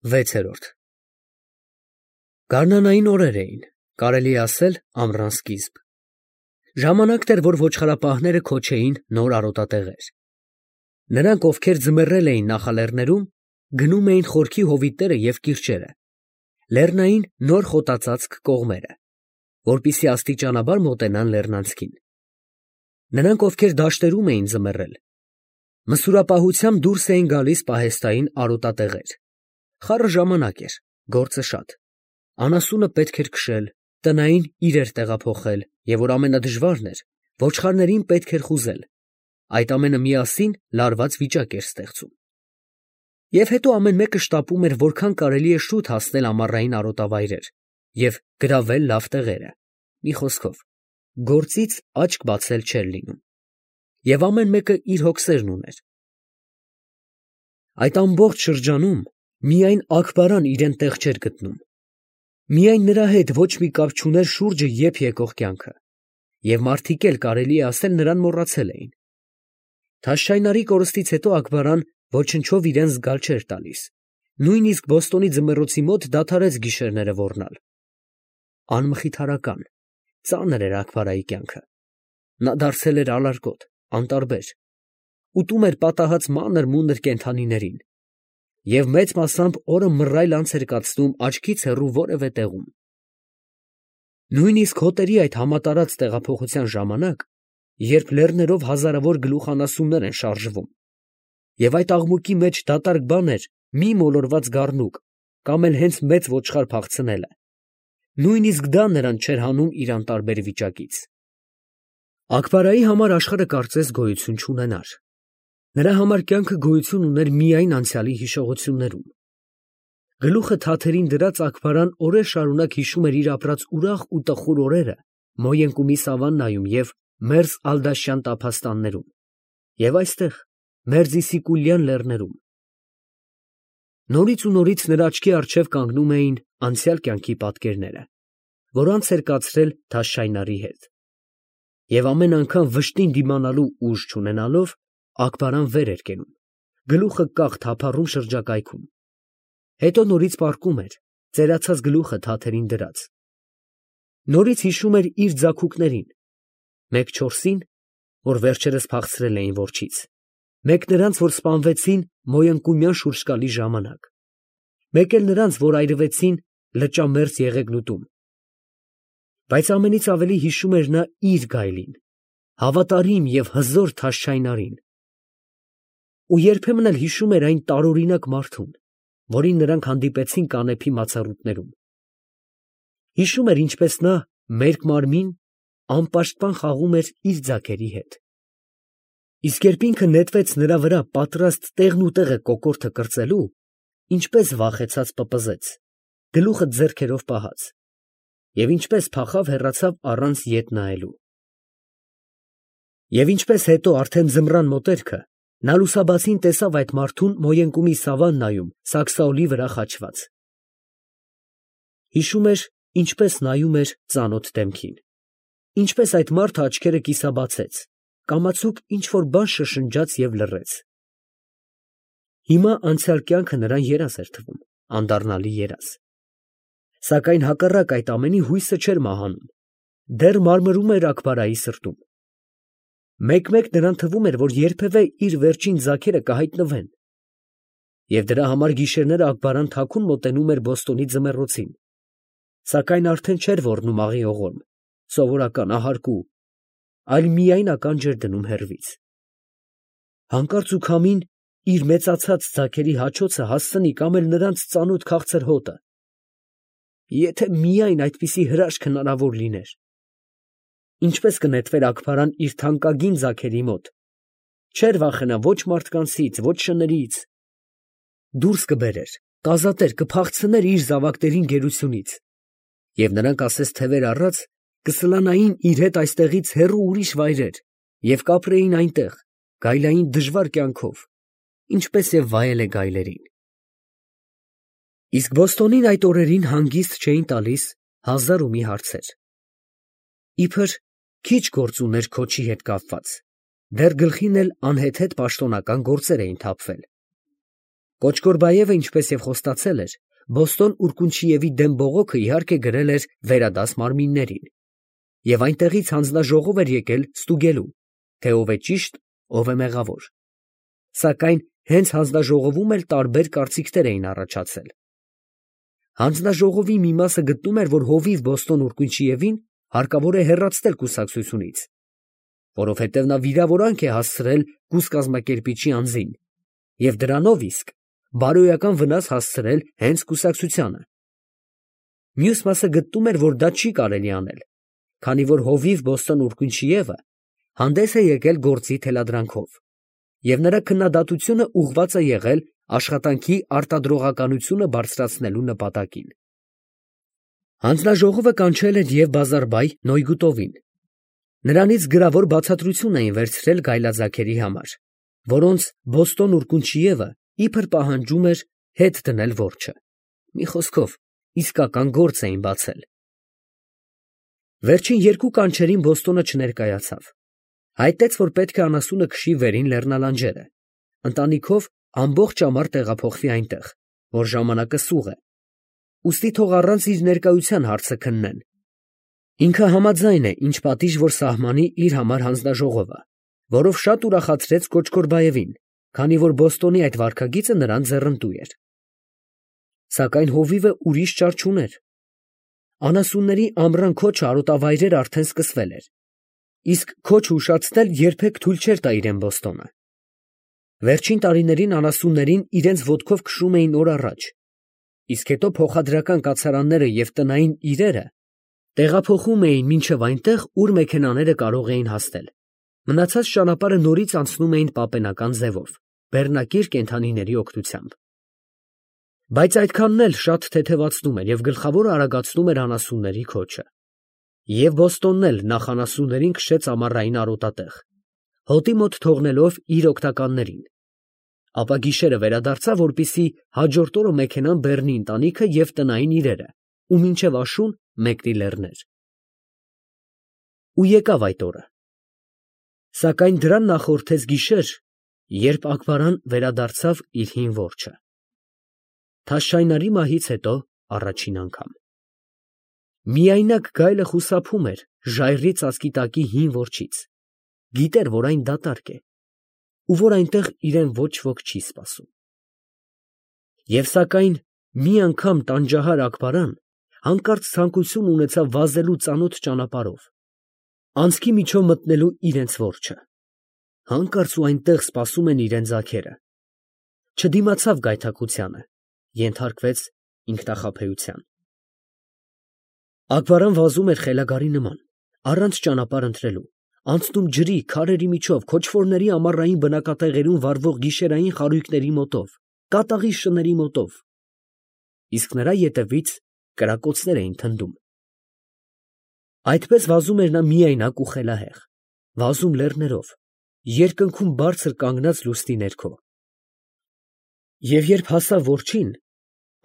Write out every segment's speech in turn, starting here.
6-րդ Գարնանային օրեր էին, կարելի է ասել ամռան սկիզբ։ Ժամանակն էր, որ ոչխարապահները քոչեին նոր արոտատեղեր։ Նրանք, ովքեր ձմեռել էին նախալեռներում, գնում էին խորքի հովիտները և կիրճերը, լեռնային նոր խոտածածկ կողմերը, որպեսզի աստիճանաբար մոտենան լեռնանցքին։ Նրանք, ովքեր դաշտերում էին ձմեռել, մսուրապահությամբ դուրս էին գալիս պահեստային արոտատեղեր։ Խառը ժամանակ էր, գործը շատ։ Անասունը պետք էր քշել, տնային իրեր տեղափոխել, և որ ամենադժվարն էր, ոչխարներին պետք էր խուզել։ Այդ ամենը միասին լարված վիճակ էր ստեղծում։ Եվ հետո ամեն մեկը շտապում էր որքան կարելի է շուտ հասնել ամառային արոտավայրեր և գրավել լավ տեղերը։ Մի խոսքով, գործից աչք բացել չէր լինում։ Եվ ամեն մեկը իր հոգսերն ուներ։ Այդ ամբողջ շրջանում միայն Աքբարան իրան տեղ չէր գտնում։ Միայն նրա հետ ոչ մի կապ չուներ շուրջը եփ եկող կյանքը, և մարդիկ էլ կարելի է ասել նրան մոռացել էին։ Թաշչայնարի կորստից հետո Աքբարան ոչնչով իրան զգալ չէր տալիս, նույնիսկ Բոստոնի ձմեռոցի մոտ դադարեց գիշերները ոռնալ։ Անմխիթարական, ծանր էր Աքբարայի կյանքը։ Նա դարձել էր ալարկոտ, անտարբեր, ուտում էր պատահած մանր-մունր կենդանիներին և մեծ մասամբ օրը մռայլ անց էր կացնում աչքից հեռու որևէ տեղում։ Նույնիսկ հոտերի այդ համատարած տեղափոխության ժամանակ, երբ լեռներով հազարավոր գլուխանասուններ են շարժվում, և այդ աղմուկի մեջ դատարկ բան էր մի մոլորված գառնուկ կամ էլ հենց մեծ ոչխար փախցնելը, նույնիսկ դա նրան չէր հանում իր անտարբեր վիճակից։ Աքբարայի համար աշխարհը կարծես գոյություն չունենար։ Նրա համար կյանքը գոյություն ուներ միայն անցյալի հիշողություններում։ Գլուխը թաթերին դրած Աքբարան օրեր շարունակ հիշում էր իր ապրած ուրախ ու տխուր օրերը Մոյենկումի սավաննայում և Մերզ Ալ֊Դաշյան տափաստաններում, և այստեղ, Մերձ Իսիկուլյան լեռներում։ Նորից ու նորից նրա աչքի առջև կանգնում էին անցյալ կյանքի պատկերները, որ անց էր կացրել Թաշչայնարի հետ։ Եվ ամեն անգամ վշտին դիմանալու ուժ չունենալով, Աքբարան վեր էր կենում, գլուխը կախ թափառում շրջակայքում։ Հետո նորից պառկում էր, ծերացած գլուխը թաթերին դրած։ Նորից հիշում էր իր ձագուկներին, մեկ չորսին, որ վերջերս փախցրել էին որջից, մեկ նրանց, որ սպանվեցին Մոյընկումյան շուրջկալի ժամանակ, մեկ էլ նրանց, որ այրվեցին Լճամերձ Եղեգնուտում։ Բայց ամենից ավելի հիշում էր նա իր գայլին, հավատարիմ և հզոր Թաշչայնարին։ Ու երբեմն էլ հիշում էր այն տարօրինակ մարդուն, որին նրանք հանդիպեցին կանեփի մացառուտներում։ Հիշում էր, ինչպես նա մերկ մարմին անպաշտպան խաղում էր իր ձագերի հետ։ Իսկ երբ ինքը նետվեց նրա վրա պատրաստ տեղն ու տեղը կոկորդը կրծելու, ինչպես վախեցած պպզեց, գլուխը ձեռքերով պահած, և ինչպես փախավ հեռացավ առանց ետ նայելու։ Եվ ինչպես հետո արդեն ձմռան մոտերքը նա լուսաբացին տեսավ այդ մարդուն Մոյենկումի սավաննայում սաքսաօլի վրա խաչված։ Հիշում էր, ինչպես նայում էր ծանոթ դեմքին, ինչպես այդ մարդը աչքերը կիսաբացեց, կամացուկ ինչ֊որ բան շշնջաց և լռեց։ Հիմա անցյալ կյանքը նրան երազ էր թվում, անդառնալի երազ։ Սակայն հակառակ այդ ամենի հույսը չէր մահանում, դեռ մարմրում էր Աքբարայի սրտում։ Մեկ֊մեկ նրան թվում էր, որ երբևէ իր վերջին ձագերը կհայտնվեն։ Եվ դրա համար գիշերները Աքբարան թաքուն մոտենում էր Բոստոնի ձմեռոցին, սակայն արդեն չէր ոռնում աղի ողորմ, սովորական ահարկու, այլ միայն ականջ էր դնում հեռվից։ Հանկարծ ու քամին իր մեծացած ձագերի հաչոցը հասցնի կամ էլ նրանց ծանոթ քաղցր հոտը։ Եթե միայն այդպիսի հրաշք հնարավոր լիներ։ Ինչպես կնետվեր Աքբարան իր թանկագին ձագերի մոտ, չէր վախենա ոչ մարդկանցից, ոչ շներից։ Դուրս կբերեր, կազատեր, կփախցներ իր զավակներին գերությունից, և նրանք ասես թևեր առած կսլանային իր հետ այստեղից հեռու ուրիշ վայրեր և կապրեին այնտեղ, գայլային դժվար կյանքով, ինչպես և վայել է գայլերին։ Իսկ Բոստոնին այդ օրերին հանգիստ չէին տալիս հազար ու մի հարցեր։ Իբր քիչ գործ ուներ քոչի հետ կապված, դեռ գլխին էլ անհեթեթ պաշտոնական գործեր էին թափվել։ Կոչկորբայևը, ինչպես եւ խոստացել էր, Բոստոն Ուրկունչիևի դեմ բողոքը իհարկե գրել էր վերադաս մարմիններին, եւ այնտեղից հանձնաժողով էր եկել ստուգելու, թե ով է ճիշտ, ով է մեղավոր։ Սակայն հենց հանձնաժողովում էլ տարբեր կարծիքներ էին առաջացել։ Հանձնաժողովի մի մասը գտնում էր, որ հովիվ Բոստոն Ուրկունչիևին հարկավոր է հեռացնել կուսակցությունից, որովհետև նա վիրավորանք է հասցրել կուսկազմակերպիչի անձին և դրանով իսկ բարոյական վնաս հասցրել հենց կուսակցությանը։ Մյուս մասը գտնում էր, որ դա չի կարելի անել, քանի որ հովիվ Բոստոն Ուրկունչիևը հանդես է եկել գործի թելադրանքով, և նրա քննադատությունը ուղղված է եղել աշխատանքի արտադրողականությունը բարձրացնելու նպատակին։ Հանձնաժողովը կանչել էր և բազարբայ Նոյգուտովին։ Նրանից գրավոր բացատրություն էին վերցրել գայլաձագերի համար, որոնց Բոստոն Ուրկունչիևը իբր պահանջում էր հետ դնել որջը։ Մի խոսքով, իսկական գործ էին բացել։ Վերջին երկու կանչերին Բոստոնը չներկայացավ։ Հայտեց, որ պետք է անասունը քշի վերին լեռնալանջերը, ընտանիքով ամբողջ ամառ տեղափոխվի այնտեղ, որ ժամանակը սուղ է, ուստի թող առանց իր ներկայության հարցը քննեն։ Ինքը համաձայն է, ինչ պատիժ որ սահմանի իր համար հանձնաժողովը, որով շատ ուրախացրեց Կոչկորբայևին, քանի որ Բոստոնի այդ վարքագիծը նրան ձեռնտու էր։ Սակայն հովիվը ուրիշ ճար չուներ։ Անասունների ամռան քոչը արոտավայրեր արդեն սկսվել էր, իսկ քոչ ուշացնել երբեք թույլ չէր տա իրեն Բոստոնը։ Վերջին տարիներին անասուններին իրենց ոտքով քշում էին օր առաջ, իսկ հետո փոխադրական կացարանները և տնային իրերը տեղափոխում էին մինչև այնտեղ, ուր մեքենաները կարող էին հասնել։ Մնացած ճանապարհը նորից անցնում էին պապենական ձևով, բեռնակիր կենդանիների օգնությամբ։ Բայց այդքանն էլ շատ թեթևացնում էր և գլխավորը արագացնում էր անասունների քոչը։ Եվ Բոստոնն էլ նախ անասուններին քշեց ամառային արոտատեղ, հոտի մոտ թողնելով իր օգնականներին, ապա գիշերը վերադարձավ, որպեսզի հաջորդ օրը մեքենան բեռնի ընտանիքը և տնային իրերը, ու մինչև աշուն մեկնի լեռներ։ Ու եկավ այդ օրը։ Սակայն դրան նախորդեց գիշեր, երբ Աքբարան վերադարձավ իր հին որջը։ Թաշչայնարի մահից հետո առաջին անգամ։ Միայնակ գայլը խուսափում էր ժայռի ծածկի տակի հին որջից, գիտեր, որ այն դատարկ է, ու որ այնտեղ իրեն ոչ ոք չի սպասում։ Եվ սակայն մի անգամ տանջահար Աքբարան հանկարծ ցանկություն ունեցավ վազելու ծանոթ ճանապարհով, անցքի միջով մտնելու իրենց որջը։ Հանկարծ ու այնտեղ սպասում են իրեն ձագերը։ Չդիմացավ գայթակղությանը, ենթարկվեց ինքնախաբեության։ Աքբարան վազում էր խելագարի նման, առանց ճանապարհ ընտրելու, անցնում ջրի, քարերի միջով, քոչվորների ամառային բնակատեղերում վառվող գիշերային խարույկների մոտով, կատաղի շների մոտով, իսկ նրա ետևից կրակոցներ էին թնդում։ Այդպես վազում էր նա միայնակ ու խելահեղ, վազում լեռներով, երկնքում բարձր կանգնած լուսնի ներքո։ Եվ երբ հասավ որջին,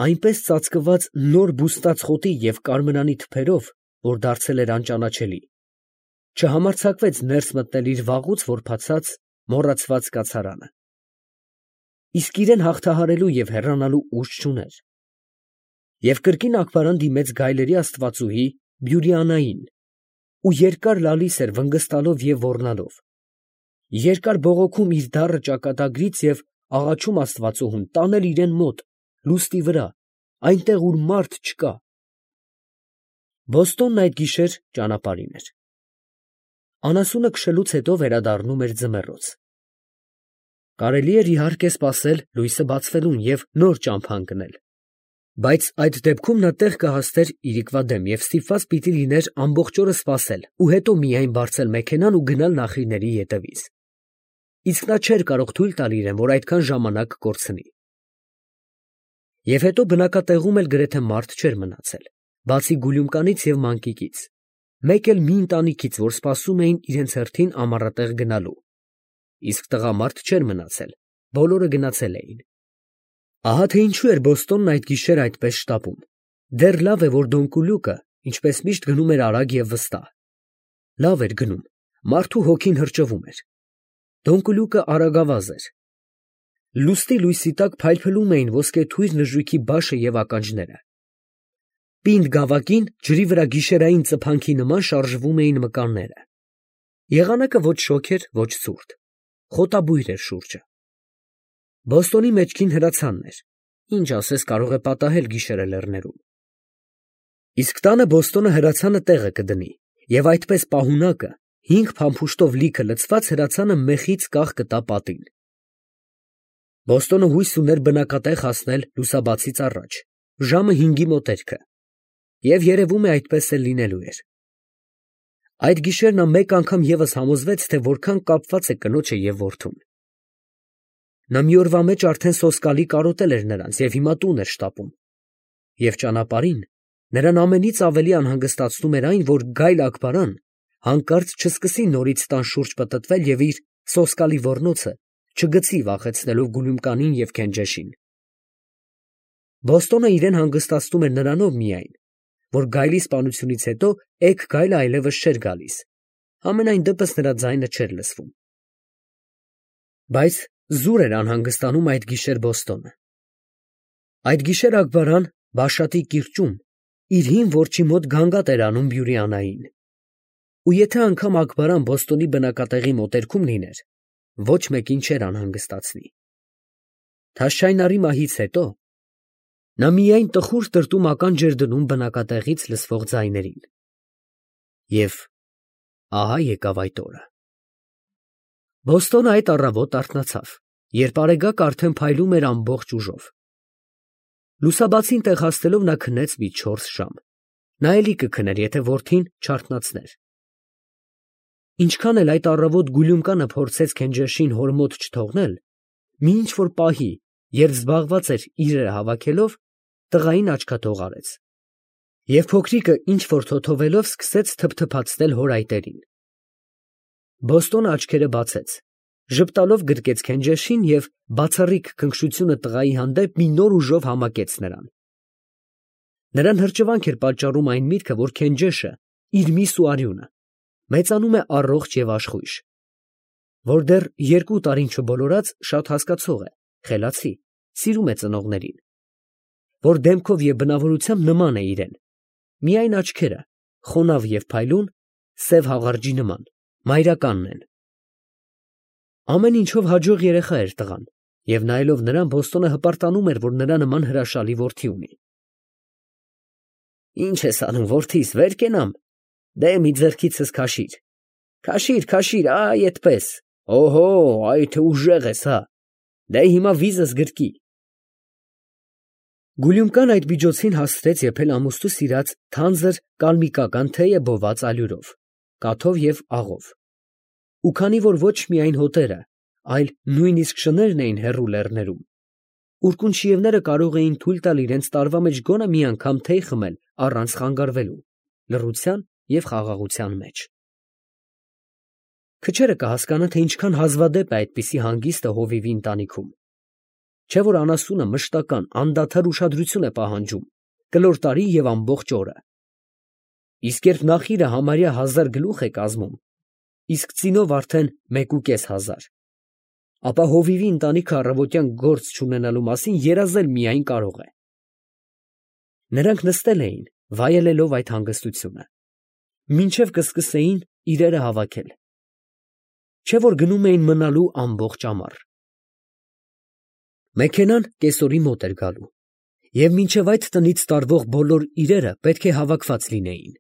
այնպես ծածկված նոր բուստած խոտի և կարմրանի թփերով, որ դարձել էր անճանաչելի, չհամարձակվեց ներս մտնել իր վաղուց որբացած, մոռացված կացարանը։ Իսկ իրեն հաղթահարելու և հեռանալու ուժ չուներ։ Եվ կրկին Աքբարան դիմեց գայլերի աստվածուհի Բյուրիանային ու երկար լալիս էր վնգստալով և ոռնալով, երկար բողոքում իր դառը ճակատագրից և աղաչում աստվածուհուն տանել իրեն մոտ, լուսնի վրա, այնտեղ, ուր մարդ չկա։ Բոստոնն այդ գիշեր ճանապարհին էր։ Անասունը քշելուց հետո վերադառնում էր ձմեռոց։ Կարելի էր իհարկե սպասել լույսը բացվելուն և նոր ճամփա ընկնել, բայց այդ դեպքում նա տեղ կհասներ իրիկվա դեմ և ստիպված պիտի լիներ ամբողջ օրը սպասել ու հետո միայն բարձել մեքենան ու գնալ նախինների ետևից։ Իսկ նա չէր կարող թույլ տալ իրեն, որ այդքան ժամանակ կորցնի։ Եվ հետո բնակատեղում էլ գրեթե մարդ չէր մնացել, բացի Գուլյումկանից և Մանկիկից, մեկ էլ մի ընտանիքից, որ սպասում էին իրենց հերթին ամառատեղ գնալու, իսկ տղամարդ չէր մնացել, բոլորը գնացել էին։ Ահա թե ինչու էր Բոստոնն այդ գիշեր այդպես շտապում։ Դեռ լավ է, որ Դոնկուլյուկը, ինչպես միշտ, գնում էր արագ և վստահ։ Լավ էր գնում, մարդու հոգին հրճվում էր։ Դոնկուլյուկը արագավազ էր։ Լուսնի լույսի տակ փայլփլում էին ոսկեթույր նժույգի բաշը և ականջները։ Պինդ գավակին ջրի վրա գիշերային ծփանքի նման շարժվում էին մկանները։ Եղանակը ոչ շոգ էր, ոչ ցուրտ, խոտաբույր էր շուրջը։ Բոստոնի մեջքին հրացանն էր, ինչ ասես կարող է պատահել գիշերը լեռներում։ Իսկ տանը Բոստոնը հրացանը տեղը կդնի, և այդպես պահունակը, 5 փամփուշտով լիքը լցված հրացանը մեխից կաղ կտա պատին։ Բոստոնը հույս ուներ բնակատեղ հասնել լուսաբացից առաջ, ժամը 5-ի մոտերքը, և երևում է այդպես էլ լինելու էր։ Այդ գիշեր նա մեկ անգամ ևս համոզվեց, թե որքան կապված է կնոջը և որդուն։ Նա մի օրվա մեջ արդեն սոսկալի կարոտել էր նրանց և հիմա տուն էր շտապում։ Եվ ճանապարհին նրան ամենից ավելի անհանգստացնում էր այն, որ Գայլ Աքբարան հանկարծ չսկսի նորից տան շուրջ պտտվել և իր սոսկալի ոռնոցը չգցի վախեցնելով Գուլյումկանին և Քենջեշին։ Բոստոնը իրեն հանգստացնում էր նրանով միայն, որ Գայլի սպանությունից հետո էգ Գայլը այլևս չէր գալիս, համենայն դեպս նրա ձայնը չէր լսվում։ Բայց զուր էր անհանգստանում այդ գիշեր Բոստոնը։ Այդ գիշեր Աքբարան Բաշատի կիրճում իր հին որջի մոտ գանգատ էր անում Բյուրիանային։ Ու եթե անգամ Աքբարան Բոստոնի բնակատեղի մոտերքում լիներ, ոչ մեկին չէր անհանգստացնի։ Թաշչայնարի մահից հետո նա միայն տխուր տրտում-ականջ էր դնում բնակատեղից լսվող ձայներին։ Եվ ահա եկավ այդ օրը։ Բոստոնը այդ առավոտ արթնացավ, երբ արեգակը արդեն փայլում էր ամբողջ ուժով։ Լուսաբացին տեղ հասնելով նա քնեց մի 4 ժամ։ Նա էլի կքներ, եթե որդին չարթնացներ։ Ինչքան էլ այդ առավոտ Գուլյումկանը փորձեց Քենջեշին հոր մոտ չթողնել, մի ինչ֊որ պահի, երբ զբաղված էր իրերը հավաքելով, տղային աչքաթող արեց։ Եվ փոքրիկը ինչ֊որ թոթովելով սկսեց թփթփացնել հոր այտերին։ Բոստոնը աչքերը բացեց, ժպտալով գրկեց Քենջեշին և բացառիկ քնքշությունը տղայի հանդեպ մի նոր ուժով համակեց նրան։ Նրան հրճվանք էր պատճառում այն միտքը, որ Քենջեշը, իր միս ու արյունը, մեծանում է առողջ և աշխույժ, որ դեռ 2 տարին չբոլորած շատ հասկացող է, խելացի, սիրում է ծնողներին, որ դեմքով և բնավորությամբ նման է իրեն, միայն աչքերը, խոնավ և փայլուն, սև հաղարջի նման, մայրականն են։ Ամեն ինչով հաջող երեխա էր տղան, և նայելով նրան Բոստոնը հպարտանում էր, որ նրա նման հրաշալի որդի ունի։ Ի՞նչ ես անում, որդիս, վեր կենամ։ Դե մի ձեռքիցս քաշիր։ Քաշիր, քաշիր, այ այդպես։ Օհո, այ թե ուժեղ ես, հա։ Դե հիմա վիզս գրկի։ Գուլյումկան այդ միջոցին հասցրեց եփել ամուսնու սիրած թանձր կալմիկական թեյը բոված ալյուրով, կաթով և աղով։ Ու քանի որ ոչ միայն հոտերը, այլ նույնիսկ շներն էին հեռու լեռներում, ուռկունչիևները կարող էին թույլ տալ իրենց տարվա մեջ գոնե մի անգամ թեյ խմել առանց խանգարվելու, լռության և խաղաղության մեջ։ Քչերը կհասկանան, թե ինչքան հազվադեպ է այդպիսի հանգիստը հովիվի ընտանիքում։ Չէ՞ որ անասունը մշտական, անդադար ուշադրություն է պահանջում, կլոր տարի և ամբողջ օրը։ Իսկ երբ նախիրը համարյա 1000 գլուխ է կազմում, իսկ ծինով արդեն 1500, ապա հովիվի ընտանիքը առավոտյան գործ չունենալու մասին երազել միայն կարող է։ Նրանք նստել էին, վայելելով այդ հանգստությունը, մինչև կսկսեին իրերը հավաքել։ Չէ՞ որ գնում էին մնալու ամբողջ ամառ։ Մեքենան կեսօրի մոտ էր գալու, և մինչև այդ տնից տարվող բոլոր իրերը պետք է հավաքված լինեին։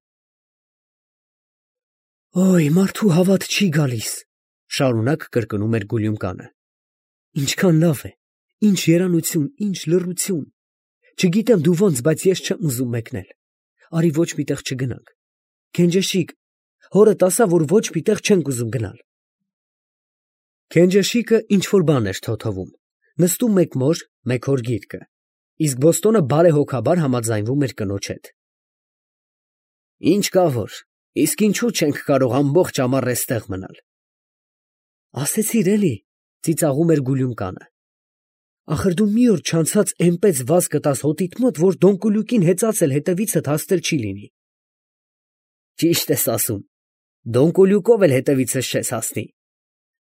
«Օй, մարդու հավատ չի գալիս», շարունակ կրկնում էր Գուլյումկանը։ «Ինչքան լավ է, ինչ երանություն, ինչ լռություն։ Չգիտեմ դու ոնց, բայց ես չեմ ուզում մեկնել։ Արի ոչ մի տեղ չգնանք։ Քենջեշիկ, հորդ ասա, որ ոչ մի տեղ չենք ուզում գնալ»։ Քենջեշիկը ինչ֊որ բան էր թոթվում, նստում մեկ մոր, մեկ հոր գիրկը, իսկ Բոստոնը բարեհոգաբար համաձայնվում էր կնոջ հետ։ «Ինչ կա որ, իսկ ինչու չենք կարող ամբողջ ամառ էստեղ մնալ»։ «Ասեցիր էլի», ծիծաղում էր Գուլյումկանը։ «Ախր դու մի օր չանցած էնպես վազ կտաս հոտիդ մոտ, որ Դոնկուլյուկին հեծած էլ հետևիցդ հասնել չի լինի»։ «Ճիշտ ես ասում, Դոնկուլյուկով էլ հետևիցս չես հասնի»,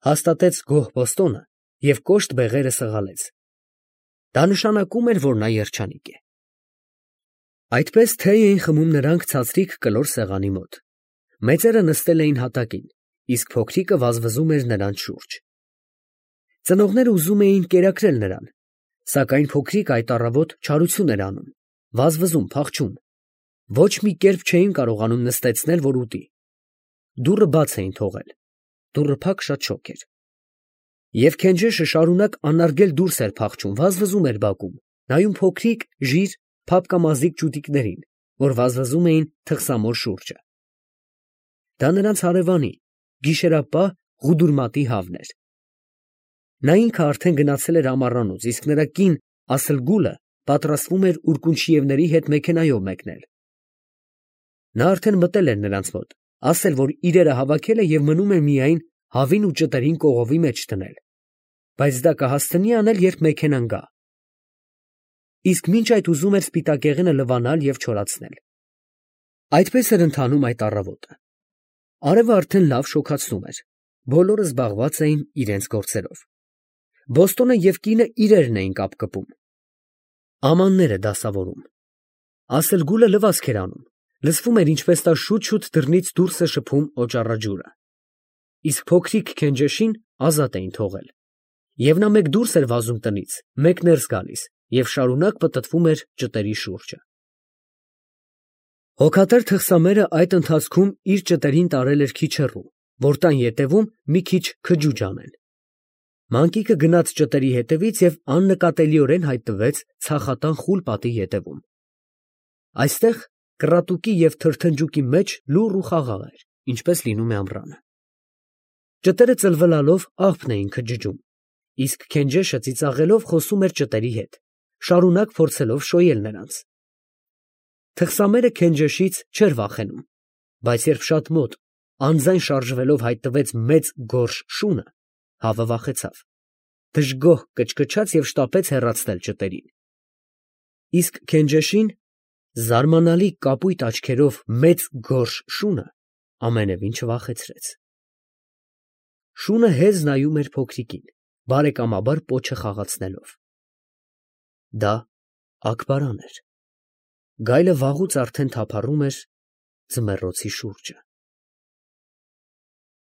հաստատեց գոհ Բոստոնը և կոշտ բեղերը սղալեց. դա նշանակում էր, որ նա երջանիկ է։ Այդպես թեյ էին խմում նրանք ցածրիկ կլոր սեղանի մոտ։ Մեծերը նստել էին հատակին, իսկ փոքրիկը վազվզում էր նրանց շուրջ։ Ծնողները ուզում էին կերակրել նրան, սակայն փոքրիկը այդ առավոտ չարություն էր անում, վազվզում, փախչում։ Ոչ մի կերպ չէին կարողանում նստեցնել, որ ուտի։ Դուռը բաց էին թողել։ Դուռը փակ շատ շոգ էր։ Եվ Քենջեշը շարունակ անարգել դուրս էր փախչում, վազվզում էր բակում, նայում փոքրիկ, ժիր, փափկամազիկ ճուտիկներին, որ վազվզում էին թխսամոր շուրջը։ Դա նրանց հարևանի, գիշերապահ Ղուդուրմատի հավն էր։ Նա ինքը արդեն գնացել էր ամառանոց, իսկ նրա կին Ասլգուլը պատրաստվում էր Ուրկունչիևների հետ մեքենայով մեկնել։ Նա արդեն մտել էր նրանց մոտ, ասել, որ իրերը հավաքել է և մնում է միայն հավին ու ճտերին կողովի մեջ դնել, բայց դա կհասցնի անել, երբ մեքենան գա։ Իսկ մինչ այդ ուզում էր սպիտակեղենը լվանալ և չորացնել։ Այդպես էր ընթանում այդ առավոտը։ Արևը արդեն լավ շոգացնում էր, բոլորը զբաղված էին իրենց գործերով։ Բոստոնը և կինը իրերն էին կապկպում, ամանները դասավորում։ Ասլգուլը լվացք էր անում, լսվում էր, ինչպես նա շուտ-շուտ դռնից դուրս է շփում օճառաջուրը։ Իսկ փոքրիկ Քենջեշին ազատ էին թողել։ Եվ նա մեկ դուրս էր վազում տնից, մեկ ներս գալիս և շարունակ պտտվում էր ճտերի շուրջը։ Հոգատար թխսամերը այդ ընթացքում իր ճտերին տարել էր քիչ հեռու, որ տան ետևում մի քիչ քջուջ անեն։ Մանկիկը գնաց ճտերի հետևից և աննկատելիորեն հայտնվեց ցախատան խուլ պատի ետևում։ Այստեղ կռատուկի և թրթնջուկի մեջ լուռ ու խաղաղ էր, ինչպես լինում է ամռանը։ Ճտերը ծլվլալով աղբն էին քջջում, իսկ Քենջեշը ծիծաղելով խոսում էր ճտերի հետ, շարունակ փորձելով շոյել նրանց։ Թխսամերը Քենջեշից չէր վախենում, բայց երբ շատ մոտ, անձայն շարժվելով հայտնվեց մեծ գորշ շունը, հավը վախեցավ, դժգոհ կչկչաց և շտապեց հեռացնել ճտերին։ Իսկ Քենջեշին, զարմանալի կապույտ աչքերով մեծ գորշ շունը ամենևին չվախեցրեց։ Շունը հեզ նայում էր փոքրիկին, բարեկամաբար պոչը խաղացնելով։ Դա Աքբարան էր։ Գայլը վաղուց արդեն թափառում էր ձմեռոցի շուրջը։